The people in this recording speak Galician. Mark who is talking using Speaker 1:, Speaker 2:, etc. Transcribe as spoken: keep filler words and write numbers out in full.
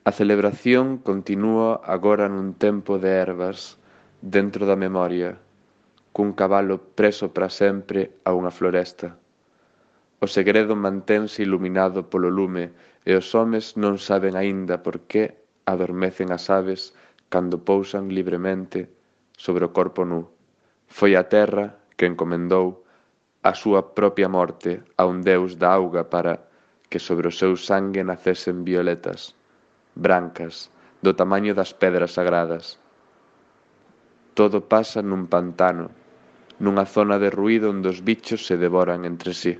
Speaker 1: A celebración continúa agora nun tempo de ervas, dentro da memoria, cun cabalo preso para sempre a unha floresta. O segredo mantense iluminado polo lume e os homes non saben aínda por que adormecen as aves cando pousan libremente sobre o corpo nu. Foi a terra que encomendou a súa propia morte a un deus da auga para que sobre o seu sangue nacesen violetas, brancas, do tamaño das pedras sagradas. Todo pasa nun pantano, nunha zona de ruído onde os bichos se devoran entre sí.